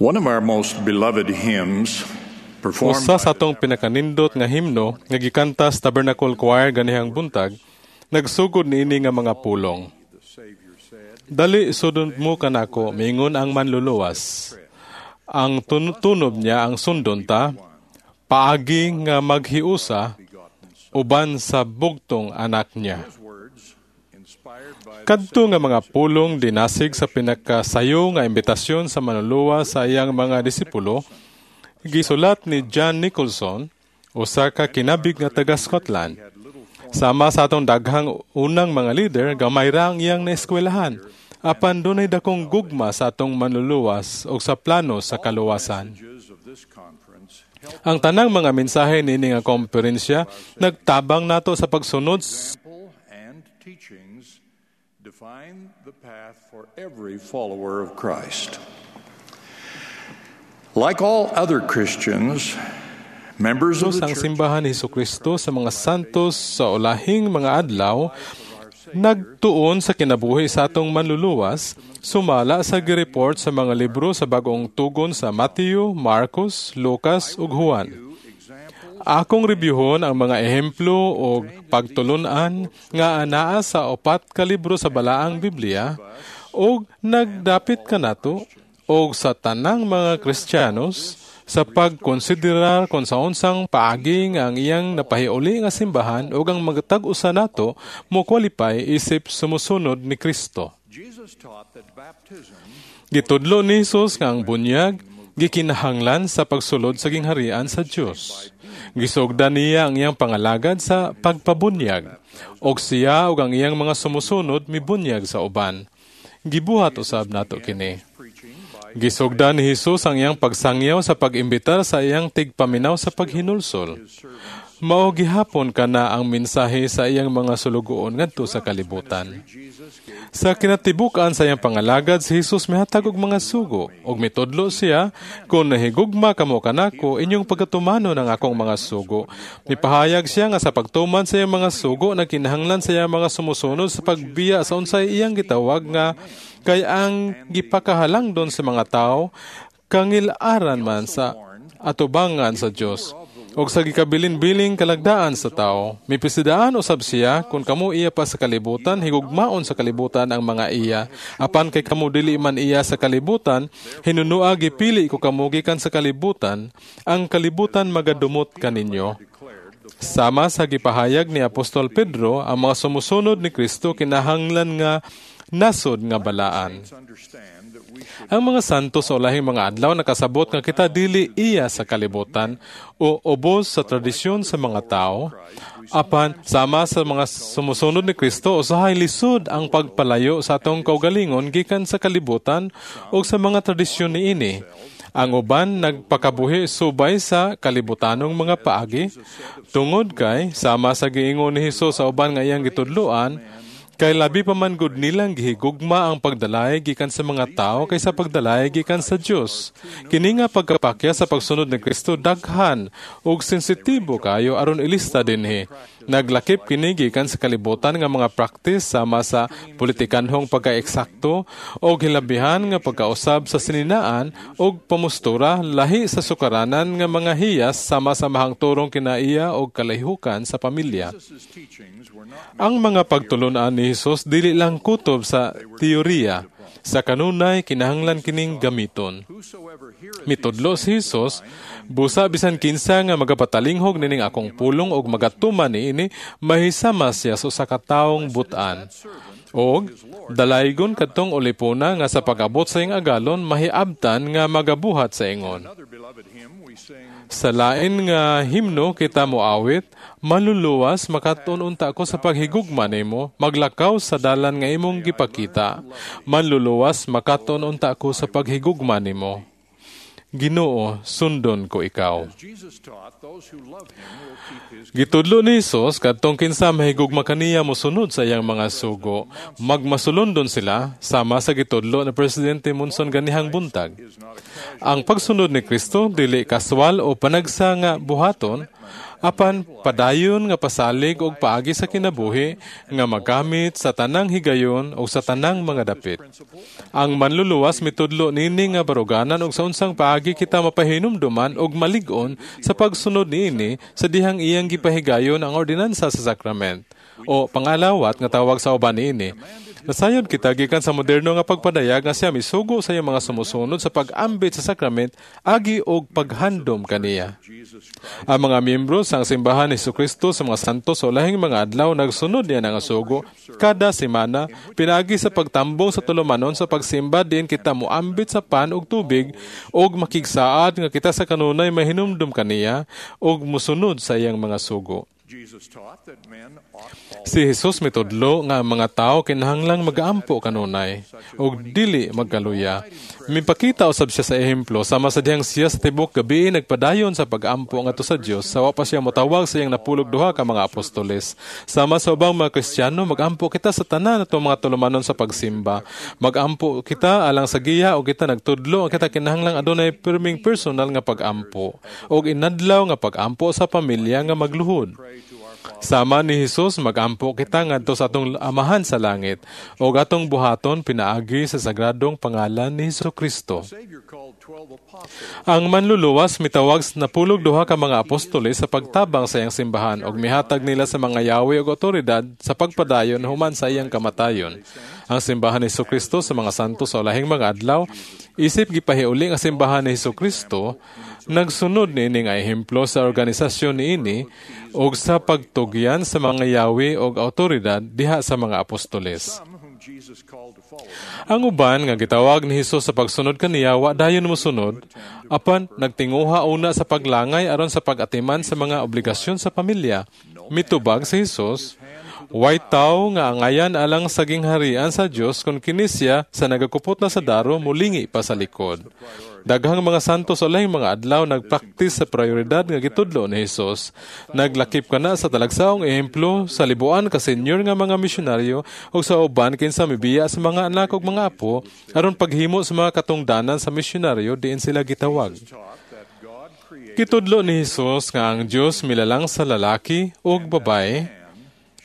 One of our most beloved hymns performed Usa sa atong pinakanindot nga himno nga gikanta sa Tabernacle Choir ganihang buntag, nagsugod niini nga mga pulong. "Dali, sudon mo kanako, miingon ang Manluluwas. Ang tunob niya ang sundon ta, paagi nga maghiusa uban sa bugtong anak niya." Kadto nga mga pulong dinasig sa pinakasayo nga imbitasyon sa Manluluwas sa iyang mga disipulo, gisulat ni John Nicholson, usa ka kinabig nga taga Scotland. Sama sa atong daghang unang mga leader, gamay ra ang iyang naeskwelahan. Apan dunay dakong gugma sa atong Manluluwas o sa plano sa kaluwasan. Ang tanang mga mensahe niini nga komperensya nagtabang nato sa pagsunod and teachings define the path for every follower of Christ. Like all other Christians, members of the ang church simbahan ni Hesukristo sa mga santos sa ulahing mga adlaw nagtuon sa kinabuhi sa atong Manluluwas sumala sa gireport sa mga libro sa Bagong Tugon sa Matthew, Marcos, Lucas ug Juan. Akong rebyuhon ang mga ehemplo og pagtulun-an nga anaa sa 4 ka libro sa Balaang Biblia og nagdapit kanato og sa tanang mga Kristiyanos sa pagkonsiderar kung sa unsang paagi nga ang iyang napahiuli nga simbahan ug ang magtag-usa nato mo qualify isip sumusunod ni Kristo. Jesus taught that baptism Gitudlo ni Jesus nga ang bunyag gikinahanglan sa pagsulod sa gingharian sa Dios. Gisugdan niya ang iyang pangalagad sa pagpabunyag, og siya ug ang iyang mga sumusunod mibunyag sa uban. Gibuhat usab nato kini. preaching by Gisugdan ni Jesus ang iyang pagsangyaw sa pag-imbitar sa iyang tigpaminaw sa paghinulsol. Mao gihapon kana ang mensahe sa iyang mga sulugoon ngadto sa kalibutan. Jesus gave Sa kinatibuk-an sa iyang pangalagad, si Jesus mihatag og mga sugo ug mitudlo siya, "Kung nahigugma kamo kanako, inyong pagkatumanon ang akong mga sugo." Mipahayag siya nga sa pagtuman sa iyang mga sugo, nagkinahanglan sa iyang mga sumusunod sa pagbiya sa unsay iyang gitawag nga kay ang gipakahalangdon sa mga tao, kangil-aran man sa atubangan sa Dios og sa gikabilin-biling kalagdaan sa tao. Mipisidaan usab siya, "Kung kamo iya pa sa kalibutan, higugmaon sa kalibutan ang mga iya. Apan kay kamo dili man iya sa kalibutan, hinunua gipili ko kamo gikan sa kalibutan, ang kalibutan magadumot kaninyo." Sama sa gipahayag ni Apostol Pedro, ang mga sumusunod ni Kristo kinahanglan nga nasod nga balaan. Understand that we should Ang mga santo sa ulahing mga adlaw nakasabot nga kita dili iya sa kalibutan o ubos sa tradisyon sa mga tao. Apan sama sa mga sumusunod ni Kristo, usahay lisod ang pagpalayo sa atong kaugalingon gikan sa kalibutan o sa mga tradisyon niini. Ang uban nagpakabuhi subay sa kalibutanong mga paagi tungod kay sama sa giingon ni Hesus sa uban nga iyang gitudloan, kay labi pa man gud nilang gihigugma ang pagdalay gikan sa mga tao kaysa pagdalay gikan sa Dios. Kini nga pagkapakya sa pagsunod ni Kristo daghan ug sensitibo kayo aron ilista dinhi. Naglakip kini gikan sa kalibutan nga mga practice sama sa politikanhong pagkaeksakto o hilabihan nga pagkausab sa sininaan og pamustura lahi sa sukaranan nga mga hiyas sama sa mahangturong kinaiya og kalahihukan sa pamilya. Jesus' teachings were not Ang mga pagtulunan ni Jesus dili lang kutob sa teorya. Sa kanunay kinahanglan kining gamiton. Whosoever heareth Mitudlo si Jesus, "Busa bisan kinsa nga magapatalinghog nining akong pulong og magatuman niini, mahisama siya sa usa ka taong butan. Og dalaygon kadtong ulipuna nga sa pag-abot sa iyang agalon mahiabtan nga magabuhat sa ingon." Another beloved hymn we sing Sa lain nga himno kita moawit, "Manluluwas, makat-on unta ko sa paghigugma nimo, maglakaw sa dalan nga imong gipakita. Manluluwas, makat-on unta ko sa paghigugma nimo. Ginoo, sundon ko ikaw." As Jesus taught, those who love him will keep his Gitudlo ni Jesus kadtong kinsa mahigugma kaniya mosunod sa iyang mga sugo. Magmasulondon sila sama sa gitudlo ni Presidente Monson ganihang buntag. Is not a casual Ang pagsunod ni Kristo dili kaswal o panagsa nga buhaton. apan padayon nga pasalig og paagi sa kinabuhi nga magamit sa tanang higayon o sa tanang mga dapit. Ang Manluluwas mitudlo niini nga baruganan og sa unsang paagi kita mapahinumduman og malig-on sa pagsunod niini sa dihang iyang gipahigayon ang ordinansa sa sakrament o pangalawat nga tawag sa uban niini. Nasayod kita gikan sa moderno nga pagpadayag nga siya misugo sa iyang mga sumusunod sa pag-ambit sa sakrament agi og paghandom kaniya. Ang mga miyembro sa Simbahan ni Jesucristo sa mga Santos sa Ulahing mga Adlaw nagsunod niya nga sugo kada semana pinaagi sa pagtambong sa tulumanon sa pagsimba diin kita moambit sa pan ug tubig ug makigsaad nga kita sa kanunay mahinumdum kaniya ug mosunod sa iyang mga sugo. Jesus taught that men ought Si Jesus mitudlo nga ang mga tao kinahanglang magaampo kanunay ug dili magkaluya. Mipakita usab siya sa ehemplo sama sa dihang siya sa tibok gabi nagpadayon sa pag-ampo ngadto sa Dios sa wa pa siya motawag sa iyang napulog duha ka mga apostoles. Sama sa ubang mga Kristiyano, magampo kita sa tanan atong mga tulumanon sa pagsimba. Magampo kita alang sa giya o kita nagtudlo ang kita kinahanglang adunay pirming personal nga pag-ampo ug inadlaw nga pag-ampo sa pamilya nga magluhod. Sama ni Jesus, magampo kita ngadto sa atong Amahan sa langit ug atong buhaton pinaagi sa sagradong pangalan ni Jesucristo. Savior called 12 apostles Ang Manluluwas mitawag sa napulog duha ka mga apostoles sa pagtabang sa iyang simbahan ug mihatag nila sa mga yawi ug otoridad sa pagpadayon human sa iyang kamatayon. Ang Simbahan ni Jesucristo sa mga Santo sa Ulahing mga Adlaw isip gipahiuli nga simbahan ni Jesucristo nagsunod niini nga ehemplo sa organisasyon niini ug sa pagtugyan sa mga yawi ug awtoridad diha sa mga apostoles. some whom Jesus called to follow him Ang uban nga gitawag ni Hesus sa pagsunod kaniya wa dayon mosunod, apan nagtinguha una sa paglangay aron sa pag-atiman sa mga obligasyon sa pamilya. Mitubag si Hesus, "Way tawo nga angayan alang sa gingharian sa Dios kon kini siya sa nagakupot na sa daro mulingi pa sa likod." Daghang mga santo sa ulahing mga adlaw nagpraktis sa prioridad nga gitudlo ni Hesus. Naglakip kana sa talagsaong ehemplo sa libuan ka senior nga mga misyonaryo ug sa uban kinsa mibiya sa mga anak ug mga apo aron paghimo sa mga katungdanan sa misyonaryo diin sila gitawag. taught that God created Gitudlo ni Hesus nga ang Dios milalang sa lalaki ug babae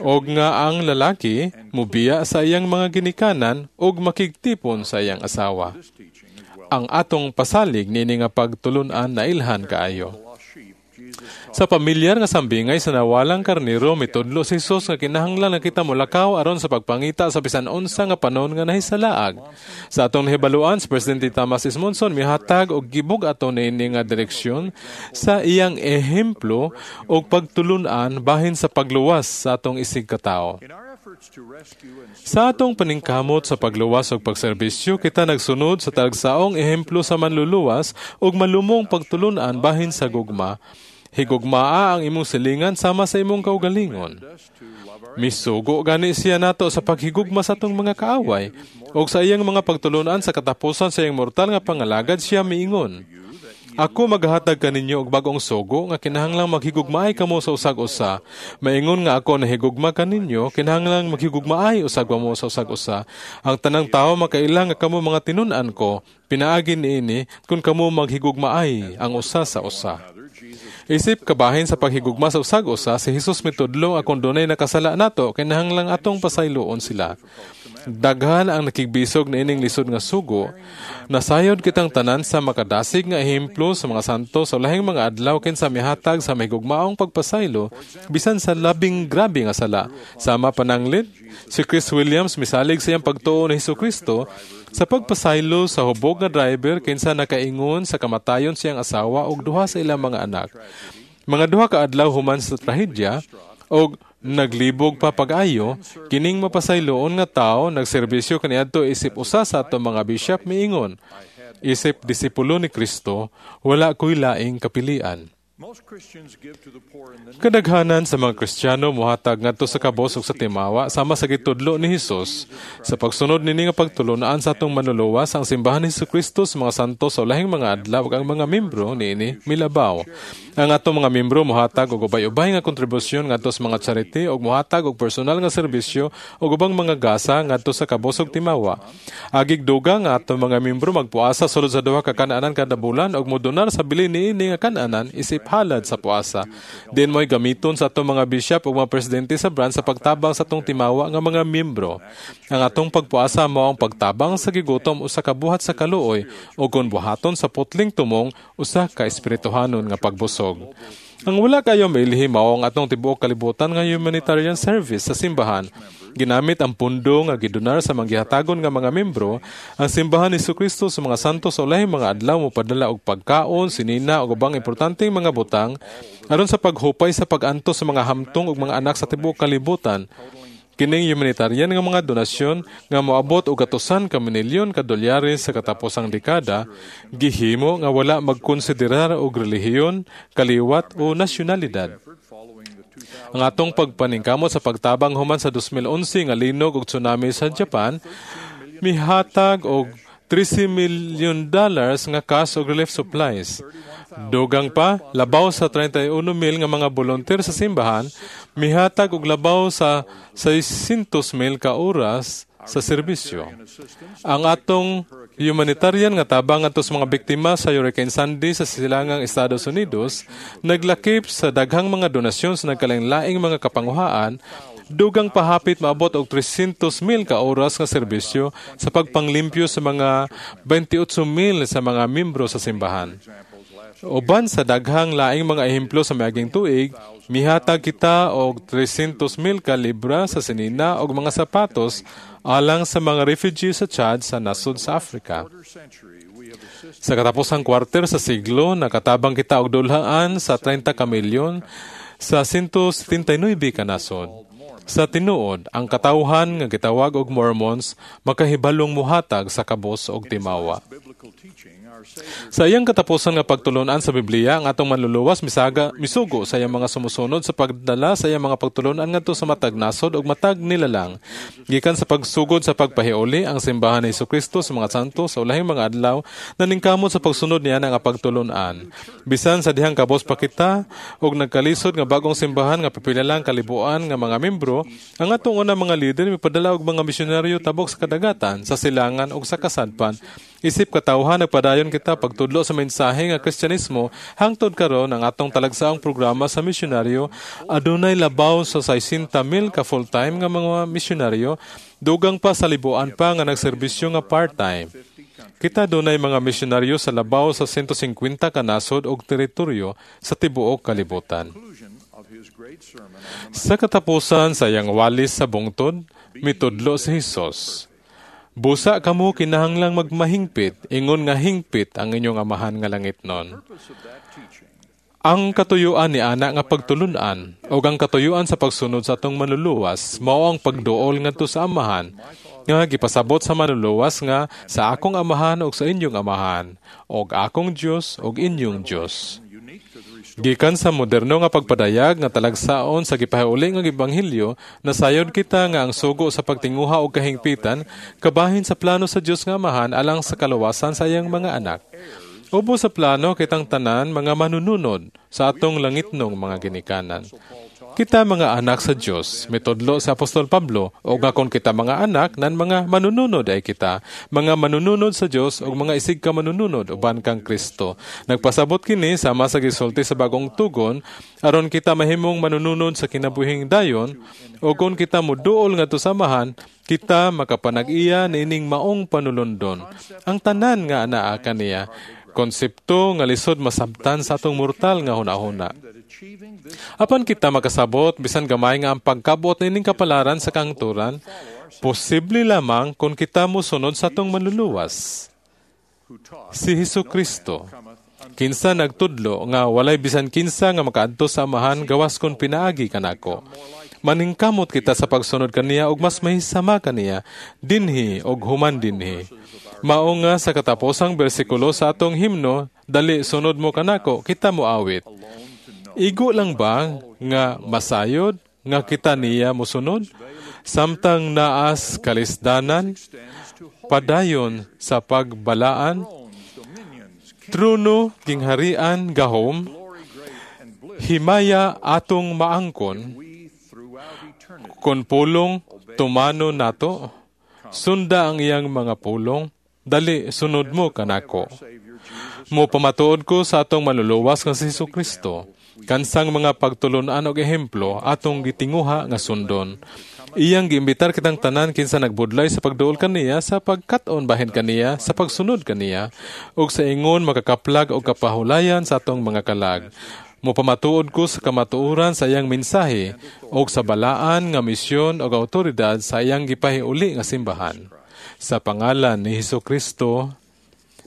ug nga ang lalaki mubiya sa iyang mga ginikanan ug makigtipon sa iyang asawa. this teaching as well Ang atong pasalig niini nga pagtulun-an nailhan kaayo. the lost sheep. Jesus taught Sa pamilyar nga sambingay sa nawalang karnero, mitudlo si Jesus nga kinahanglan nga kita molakaw aron sa pagpangita sa bisan unsa nga panon nga nahisalaag. Sa atong nahibaluan, si Presidente Thomas S. Monson mihatag og gibug ato niini nga direksyon sa iyang ehemplo og pagtulun-an bahin sa pagluwas sa atong isig katawo. in our efforts to rescue and Sa atong paningkamot sa pagluwas ug pagserbisyo, kita nagsunod sa talagsaong ehemplo sa Manluluwas ug malumong pagtulun-an bahin sa gugma. Higugmaa ang imong silingan sama sa imong kaugalingon. us to love our Misugo gani siya nato sa paghigugma sa atong mga kaaway ug sa iyang mga pagtulun-an sa katapusan sa iyang mortal nga pangalagad siya miingon. "Ako maghatag kaninyo og bag-ong sugo nga kinahanglang maghigugmaay kamo sa usag usa. Maingon nga ako nahigugma kaninyo, kinahanglang maghigugmaay usag mo sa usag usa. Ang tanang tawo makaila nga kamo mga tinun-an ko, pinaagi niini kung kamo maghigugmaay ang usa sa usa." other. Jesus Isip kabahin sa paghigugma sa usag usa, si Jesus mitudlo nga kung dunay nakasala nato, kinahanglang atong pasayloon sila. Daghan ang nakigbisog na ining lisod nga sugo. Nasayod kitang tanan sa makadasig nga ehemplo sa mga santo sa ulahing mga adlaw kinsa mihatag sa mahigugmaong pagpasaylo bisan sa labing grabe nga sala. Sama pananglit, si Chris Williams misalig sa iyang pagtuo ni Jesucristo sa pagpasaylo sa hubog nga driver kinsa nakaingon sa kamatayon siyang asawa ug duha sa ilang mga anak. Mga 2 ka adlaw human sa trahedya og naglibog pa pag-ayo, kining mapasayloon nga tawo nagserbisyo kaniadto isip usa sa ato mga bishop miingon, "Isip disipulo ni Kristo, wala ko'y laing kapilian." Most Christians give to the poor in the Kadaghanan sa mga Kristiyano mohatag ngadto sa kabos ug sa timawa sama sa gitudlo ni Hesus. Sa pagsunod niini nga pagtulun-an sa atong Manluluwas, ang Simbahan ni Jesucristo sa mga Santo sa Ulahing mga Adlaw ug ang mga membro niini milabaw. Ang atong mga membro mohatag og ubay-ubay nga kontribusyon ngadto sa mga charity ug mohatag og personal nga serbisyo ug ubang mga gasa ngadto sa kabos ug timawa. Agig duga nga atong mga membro magpuasa sulod sa 2 ka kan-anan kada bulan ug modonar sa bilin niini nga kan-anan isip isip halad sa puasa. Diin mo'y gamiton sa atong mga bishop ug mga presidente sa branch sa pagtabang sa atong timawa nga mga miyembro. Ang atong pagpuasa mao ang pagtabang sa gigutom, usa ka buhat sa kaluoy, o kon buhaton sa putling tumong, usa ka espirituhanon nga pagbusog. Ang wala kayo mailhi mao ang atong tibuok kalibutan nga humanitarian service sa simbahan. Ginamit ang pundo nga gidonar sa manggihatagon nga mga membro, ang Simbahan ni Kristo sa mga Santos sa Ulahing mga Adlaw mopadala og pagkaon, sinina ug ubang importanteng mga butang aron sa paghupay sa pag-antos sa mga hamtong ug mga anak sa tibuok kalibutan. Kining humanitarian nga mga donasyon nga moabot og gatusan ka milyon ka dolyares sa kataposang dekada, gihimo nga wala magkonsiderar og relihiyon, kaliwat o nasyonalidad. Ang atong pagpaningkamot sa pagtabang human sa 2011 nga linog ug tsunami sa Japan, mihatag og $13 million nga cash og relief supplies. Dugang pa, labaw sa 31 mil nga mga volunteer sa simbahan, mihatag og labaw sa 600 mil ka oras sa serbisyo. Ang atong humanitarian nga tabang ngadto sa mga biktima sa Hurricane Sandy sa silangang Estados Unidos naglakip sa daghang mga donasyon sa nagkalain-laing mga kapanguhaan, dugang pahapit maabot og 300 mil ka oras nga serbisyo sa pagpanglimpyo sa mga 28 mil sa mga membro sa simbahan. Uban sa daghang laing mga ehemplo sa miaging tuig, mihatag kita og 300 mil ka libra sa sinina og mga sapatos alang sa mga refugees sa Chad sa nasod sa Africa. Sa katapusang kwarter sa siglo, nakatabang kita og dulhaan sa 30 ka milyon sa 179 ka nasod. Sa tinuod, ang katawhan nga gitawag og Mormons makahibalong muhatag sa kabos og timawa. Sa iyang katapusan nga pagtulunan sa Biblia, ang atong Manluluwas misaga misugo sa iyang mga sumusunod sa pagdala sa iyang mga pagtulunan ngadto sa matag nasod ug matag nilalang. Gikan sa pagsugod sa pagpahiuli, ang Simbahan ni Kristo sa mga Santo sa Ulahing mga Adlaw naningkamot sa pagsunod niya nga pagtulunan. Bisan sa dihang kabos pa kita og nagkalisod nga bagong simbahan nga pipila lang kalibuan nga mga membro, ang atong unang mga leader mipadala og mga misyonaryo tabok sa kadagatan, sa silangan ug sa kasadpan. Isip katawhan, nagpadayon kita pagtudlo sa mensahe nga Kristyanismo hangtod karon. Ang atong talagsaong programa sa misyonaryo adunay labaw sa 60 mil ka full-time nga mga misyonaryo, dugang pa sa libuan pa nga nagserbisyo nga part-time. Kita dunay mga misyonaryo sa labaw sa 150 ka nasod og teritoryo sa tibuok kalibutan. Sa katapusan sa iyang walis sa bungtod, mitudlo si Hesus: "Busa kamo kinahanglang magmahingpit, ingon nga hingpit ang inyong Amahan nga langitnon." Ang katuyuan ni ana nga pagtulunan o ang katuyuan sa pagsunod sa atong Manluluwas mao ang pagduol ngadto sa Amahan nga gipasabot sa Manluluwas nga "sa akong Amahan ug sa inyong Amahan, og akong Dios ug inyong Dios". Gikan sa moderno nga pagpadayag nga talagsaon sa gipahiuli nga ebanghelyo, nasayod kita nga ang sugo sa pagtinguha og kahingpitan kabahin sa plano sa Dios nga Amahan alang sa kaluwasan sa iyang mga anak. Ubos sa plano, kitang tanan mga manununod sa atong langitnong mga ginikanan. "Kita mga anak sa Dios," mitudlo sa Apostol Pablo, "ug nga kon kita mga anak, nan mga manununod ay kita, mga manununod sa Dios ug mga isig ka manununod uban kang Kristo." Nagpasabot kini sama sa gisulti sa Bagong Tugon, aron kita mahimong manununod sa kinabuhing dayon, o kon kita moduol ngadto sa Amahan, kita makapanag-iya niining maong panulundon. Ang tanan nga anaa kaniya, konsepto nga lisod masabtan sa atong mortal nga hunahuna. Apan kita makasabot bisan gamay nga ang pagkabot nining kapalaran sa kahangturan posible lamang kung kita mosunod sa atong Manluluwas, si Hesus Kristo, kinsa nagtudlo nga walay bisan kinsa nga makaadto sa Amahan gawas kon pinaagi kanako. Maningkamot kita sa pagsunod kaniya ug mas mahisama kaniya dinhi ug human dinhi. Mao nga sa kataposang bersikulo sa atong himno, "Dali, Sunod Mo Kanako," kita moawit: "Igo lang ba nga masayod nga kita niya mosunod samtang naas kalisdanan, padayon sa pagbalaan, trono, gingharian, gahom, himaya atong maangkon, kon pulong tumano nato, sunda ang iyang mga pulong, dali, sunod mo kanako"? Mopamatuod ko sa atong Manluluwas nga si Hesus Kristo, kansang mga pagtulunan og ehemplo atong gitinguha nga sundon. Iyang giimbitar kitang tanan kinsa nagbudlay sa pagduol kaniya, sa pagkat-on bahin kaniya, sa pagsunod kaniya, ug sa ingon makakaplag og kapahulayan sa atong mga kalag. Mopamatuod ko sa kamatuoran sa iyang mensahe ug sa balaan nga misyon ug awtoridad sa iyang gipahiuli nga simbahan. Sa pangalan ni Hesus Kristo.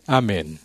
Amen.